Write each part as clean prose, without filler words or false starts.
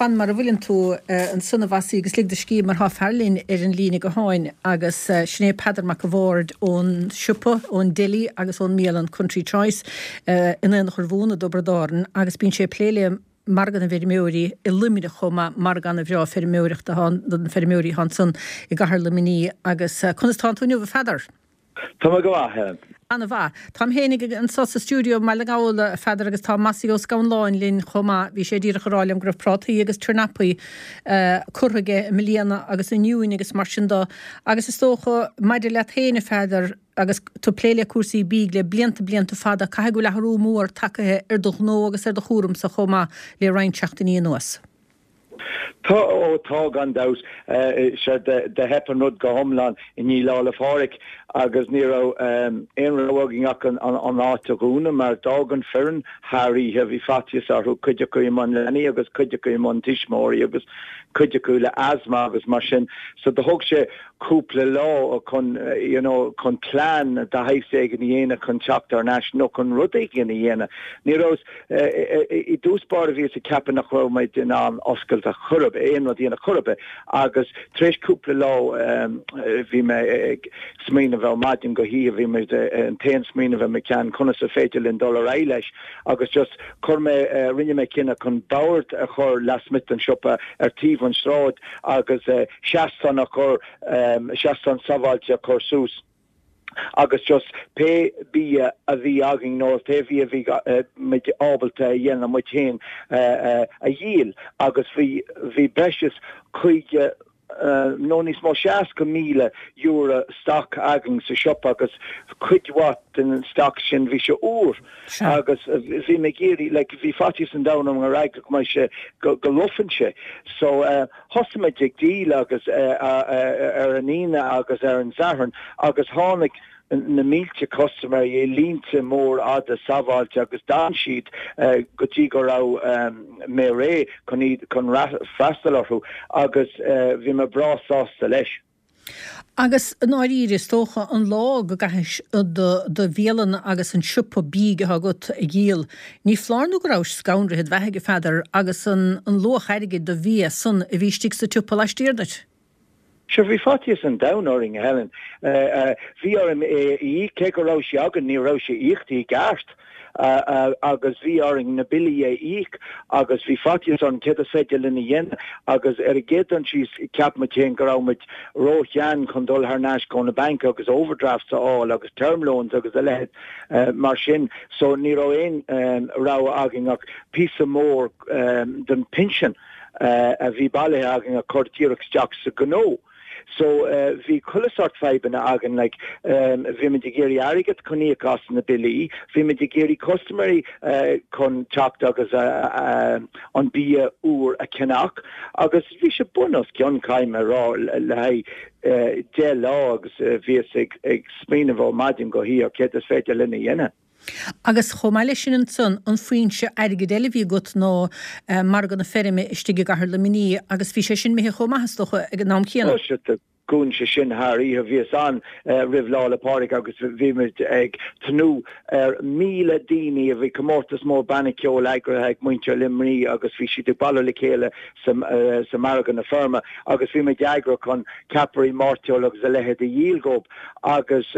Fan mar a bhfuileann tú ansan a Mhossie agus lig do scíth mar tá fear linn ar an líne gutháin agus sin é Peadar Mac a' Bhaird ón siopa, ón deli agus ón mbialann Country Choice in Aonach Urmhumhan i dTiobraid Árann agus bíonn sé ag plé le Margadh na bhFeirmeoirí i Luimneach chomh maith, margadh ana-bhreá feirmeoireachta atá ann do na feirmeoirí atá ansan i gcathair Luimnigh agus conas tánn tú inniu a Pheadair? Tá mé go maith, Helen. Ana-mhaith. Táim fhéinig anso sa stiúideo i mBaile na nGall, a Pheadair, agus tá Mossie Ó Scanláin linn chomh maith. Bhí sé díreach ag rá liom go raibh prátaí agus turnapaí curtha aige i mbliana agus oinniúin agus mar sin do. Agus is dócha, maidir leat féin, a Pheadair, agus tú ag plé le cúrsaí bídh le blianta blianta fada, caithfidh go bhfuil athrú mór tagaithe ar do ghnó agus ar do chúramsa chomh maith le roinnt seachtainí anuas. Tá, ó tá, gan dabht. Sea, do theip an rud go hiomlán i ndiaidh Lá 'le Pádraig agus ní raibh aon rogha againn ach an áit a dhúnadh mar d'fhág an foireann thar oíche, bhí faitíos orthu, cuid acu i mbun leanaí agus cuid acu i mbun tuismitheoirí agus cuid acu le asthma agus mar sin. So do thóg sé cúpla lá chun, you know, chun plean de shaghas éigin a dhéanamh chun teacht thar n-ais nó chun rud éigin a dhéanamh. Ní raibh. I dtús báire bhíos ag ceapadh nach raibh muid in ann oscailt ar chor ar bith, aon rud a dhéanamh chor ar bith agus tar éis cúpla lá bhí mé ag smaoineamh ó maidin go hoíche, bhí muid, an t-aon smaoineamh i mo cheann conas is féidir linn dul ar aghaidh leis agus just chuir mé, rinne mé cinneadh chun bord a chur lasmuigh den siopa ar taobh an sráid agus seastán a chur, seastán sábháilte a chur suas. agus just pé bia a bhí againn nó pé bia a bhí muid ábalta a dhéanamh muid féin a dhíol agus bhí bhí breis is 50 nó níos mó €60,000 stoc againn sa siopa agus cuid mhaith den stoc sin bhí sé úr agus bhí mé ag iarraidh like bhí faitíos an domhain orm gur eagla go mbeidh sé go go lofann sé so Thosaigh muid ag díol agus ar an Aoine agus ar an Satharn agus tháinig na mílte custaiméirí i línte mór fhada sábháilte agus d'fhan siad go dtí go raibh mé réidh chun iad chun freastal orthu agus bhí mé breá sásta leis. Agus i ndáiríre, is dócha, an lá go gcaithis do bhialann agus an siopa bídh atá agat a dhíol, ní foláir nó go rabhais scanraithe id bheathaidh, a Pheadair, agus an luach airgid do bhia san a bhí istigh sa tsiopa laistiar duit. Sure, bhí faitíos an domhain orainn, a Helen. Bhí orm é a íoc, cé go raibh sé againn, ní raibh sé íochta i gceart. agus bhí orainn na billí a íoc agus bhí faitíos orainn céard is féidir linn a dhéanamh agus ar an gcéad dul síos cheap muid féin go raibh muid ró-shean chun dul thar n-ais go na banc agus overdrafts a fháil agus term loans agus a leithéid mar sin so ní raibh aon rogha againn ach píosa mór den pinsean a bhí bailithe againn a chur díreach isteach sa ghnó. So bhí chuile sort fadhbanna againn like bhí muid ag iarraidh airgead chun íoc as na billí, bhí muid ag iarraidh custaiméirí chun teacht agus an bia úr a cheannach agus bhí sé bun os cionn caithfidh mé a rá le haghaidh 10 lá agus bhíos ag smaoineamh ó maidin go hoíche céard is féidir linn a dhéanamh. Agus chomh maith leis sin ansan, an foinse airgid eile a bhí agat ná margadh na feirme istigh i gcathair Luimnigh agus bhí sé sin imithe chomh maith, is dócha, ag an am céanna. Ó sea, dhún sé sin thar oíche. Bhíos ann roimh Lá 'le Pádraig agus bhí muid ag tnúth ar 1,000 daoine. Bhí comórtas mór banna ceoil eagraithe ag muintir Luimnigh agus bhí siad ag bailiú le chéile sa margadh na feirme agus bhí muid eagraithe chun ceapairí, mairteoil agus a leithéid a dhíol dhóibh agus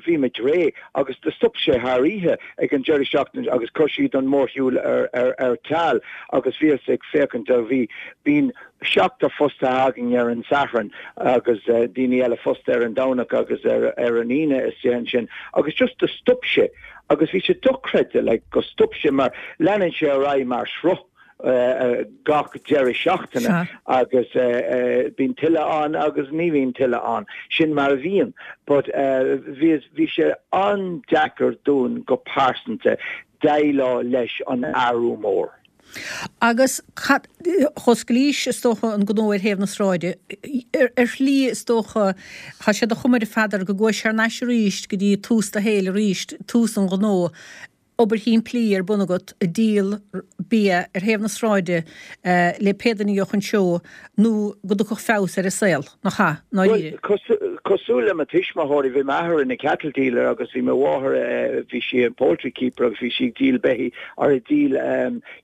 bhí muid réidh. agus do stop sé thar oíche ag an deireadh seachtaine agus chuir siad an mórshiúl ar ceal agus bhíos ag féachaint do bhí bíonn seachtar fostaithe againn ar an Satharn agus daoine eile fostaithe ar an Domhnach agus ar an Aoine istigh ansin agus just do stop sé agus bhí sé dochreidte like go stop sé mar leanann sé ar aghaidh mar shruth. gach deireadh seachtaine agus bíonn tuilleadh ann agus ní bhíonn tuilleadh ann. Sin mar a bhíonn. But bhí bhí sé an-deacair dúinn go pearsanta déileáil leis an athrú mór. Agus cad, dh'osclaís is dócha an gnó ar thaobh na sráide. Ar shlí is dócha, tá sé de chuma air a Pheadair go gcuais thar n-ais arís go dtí tús do shaoil arís, tús an ghnó. obair shimplí ar bun agat ag díol bia ar thaobh na sráide le pé duine a gheobhadh an seó nó go dtiocfadh feabhas ar a saol, nach ea, i ndáiríre? Bhuel, cosúil le mo tuismitheoirí, bhí m'athair ina cattle dealer agus bhí mo mháthair, bhí sí in poultry keeper agus bhí sí ag díol beithí or ag díol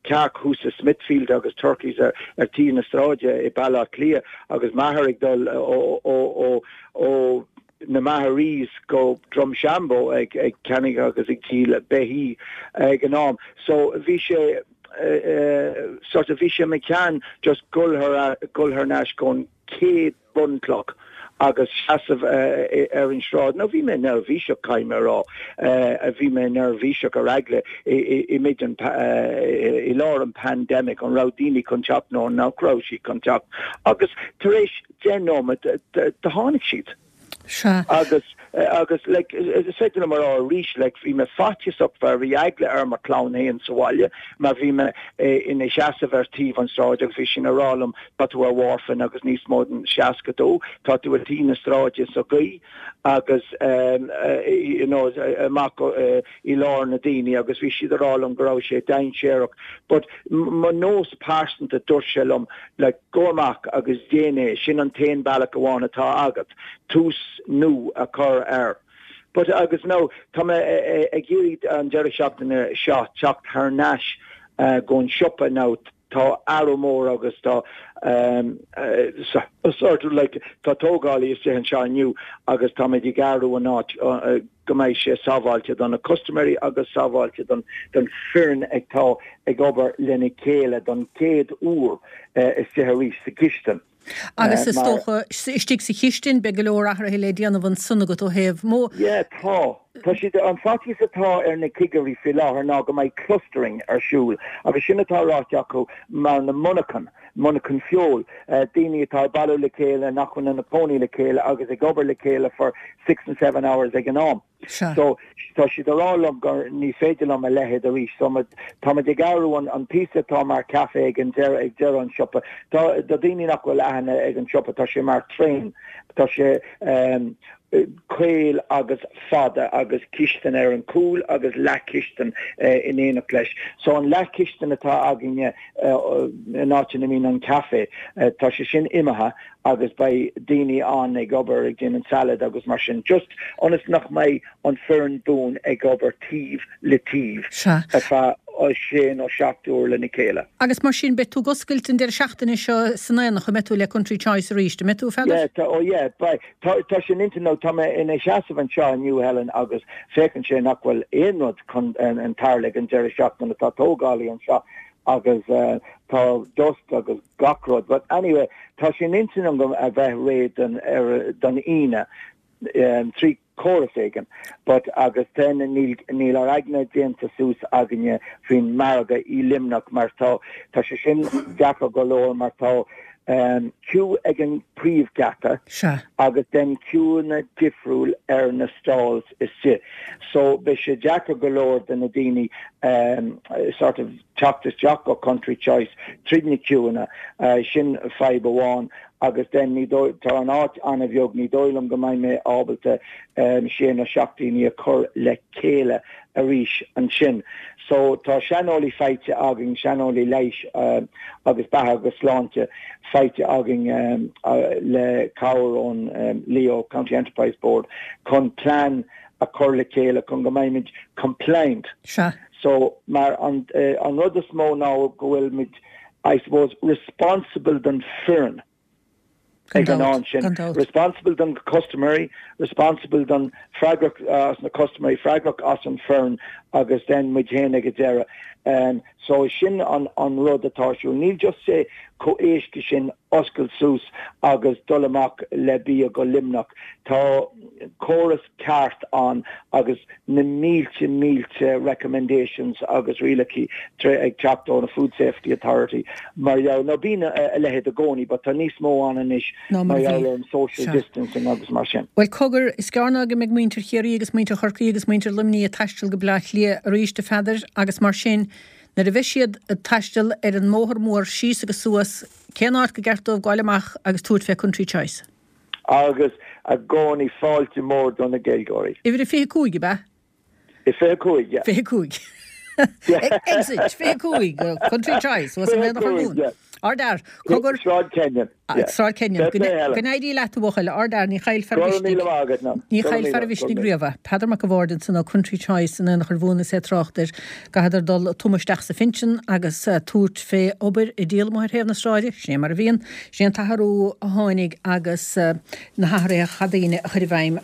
cearc thuas i Smithfield agus turkeys ar ar taobh na sráide i Baile Átha Cliath agus m'athair ag dul ó ó ó ó na Maharees go Drumshanbo ag ag ceannaigh agus ag díol beithí ag an am. So bhí sé sort of bhí sé i mo cheann just gul thar gul thar n-ais gon chéad bunchloch agus seasamh ar an sráid. Now bhí mé neirbhíseach, caithfidh mé a rá, bhí mé neirbhíseach ar eagla i mid an, i lár an pandemic, an raibh daoine chun teacht nó nach raibh siad chun teacht. Agus tar éis 10 nóiméad, do tháinig siad. Sea. Agus, agus, like, is féidir liom a rá arís, like, bhí mé faitíosach mar bhí eagla ar mo chlann féin sa bhaile mar bhí mé ina sheasamh ar taobh an sráid agus bhí siad ag rá liom tá tú ar mharfain agus níos mó den 60 tá tú ar taobh na sráide sa ghaoth agus, you know, amach i lár na daoine agus bhí siad ag rá liom go raibh sé dainséarach but mo nós pearsanta dúirt sé liom like go amach agus déan é, sin an t-aon bealach amháin atá agat tús nua a chur air. But agus now tá mé ag iarraidh an deireadh seachtaine seo teacht thar n-ais gon siopa now tá athrú mór agus tá sort of like tá tógálaí istigh anseo inniu agus táimid ag athrú an áit go mbeidh sé sábháilte do na custaiméirí agus sábháilte don don foireann atá ag obair lena chéile don chéad uair istigh arís sa chistin. Agus is dócha, istigh sa chistin, beidh go leor athruithe le déanamh ansan agat ó thaobh mo. Yeah, tá. Tá siad, an faitíos atá ar na cigirí faoi láthair ná go mbeidh clustering ar siúl agus sin atá ráite acu mar na monarchan, monarchan feoil, daoine atá ag bailiú le chéile, nach bhfuil ina cónaí le chéile agus ag obair le chéile for six and seven hours ag an am. Sea. So, tá siad ag rá liom gur ní féidir liom a leithéid arís. So, táimid ag athrú an, an píosa atá mar café ag an deireadh, ag deireadh an siopa. Tá, do daoine nach bhfuil aithne ag an siopa, tá sé mar traein. Tá sé caol agus fada agus cistin ar an cúl agus leathchistin in éineacht leis. So an leathchistin atá againne in áit ina mbíonn an café, tá sé sin imithe agus beidh daoine ann ag obair ag déanamh salad agus mar sin, just ionas nach mbeidh an foireann buan ag obair taobh le taobh ar feadh sé nó seacht uair lena chéile. Agus mar sin, beidh tú ag oscailt an deireadh seachtaine seo san Aonach, an mbeidh tú le Country Choice arís, an mbeidh tú, a Pheadair? Yeah, tá, oh yeah, beidh. Tá, tá sé in intinn, nó tá mé ina sheasamh anseo inniu, Helen, agus féachann sé nach bhfuil aon rud chun tarlú ag an deireadh seachtaine. Tá tógálaí anseo agus tá dust agus gach rud. But anyway, tá sé in intinn agam a bheith réidh don, ar, don Aoine trí chóras éigin. But agus then níl, níl ár aigne déanta suas againne faoin margadh i Luimneach mar tá, tá sé sin deacair go leor mar tá queue ag an príomhgheata Sea. agus then queueanna difriúil ar na stalls istigh. So beidh sé deacair go leor do na daoine sort of teacht isteach go Country Choice tríd na queueanna, sin fadhb amháin agus then ní dóigh, tá an áit an-bheag, ní dóigh liom go mbeidh mé ábalta sé nó seacht daoine a chur le chéile arís ansin. So tá saineolaí faighte againn, saineolaí leighis agus beatha agus sláinte faighte againn le cabhair ón Leo County Enterprise Board chun plean a chur le chéile chun go mbeimid compliant. Sea. So, mar an an rud is mó ná go bhfuil muid, I suppose, responsible don foireann Gan ag an dabht, am sin. gan dabht. Responsible don custaiméirí, responsible don, freagrach as na custaiméirí, freagrach as an foireann agus then muid féin ag an deireadh. So sin an an rud atá ar siúl. Níl just sé chomh éasca sin oscailt suas agus dul amach le bia go Luimneach. Tá córas ceart ann agus na mílte mílte recommendations agus rialacha ag teacht ó na Food Safety Authority mar gheall, nó bíonn a leithéid i gcónaí but tá níos mó ann anois ná mar mar a gheall bhí. ar an social Sea. distancing agus mar sin. Bhuel, cogar, is gearr ná go mbeidh muintir Chiarraí agus muintir Chorcaí agus muintir Luimnigh ag taisteal go Bleá Cliath arís, a Pheadair, agus mar sin, nuair a bheidh siad ag taisteal ar an mbóthar mór síos agus suas, cén áit gur ceart dóibh gabháil amach agus tabhairt fé Country Choice? Agus i gcónaí fáilte mór do na Gaeilgeoirí. Uimhir a 25, ab ea? 25, yeah. 25. Exit 25, Country Choice, thuas in Aonach Urmhumhan. 25, yeah. Ardfhear. Cogar. Sráid Kenyon. Sráid Kenyon. Go n-éirí leat, a bhuachaill. Ardfhear. Ní chaillfear a mhisnigh. Ní chaillfear a mhisnigh riamh. Peadar Mac a' Bhaird ansan ó Country Choice in Aonach Urmhumhan is é ag trácht ar go gcaithfeadar dul tumadh isteach sa phinsean agus tabhairt fé obair ag díol amuigh ar thaobh na sráide. Sin é mar a bhíonn. Sin é an t-athrú a tháinig agus na hathruithe a chaith daoine a chur i bhfeidhm.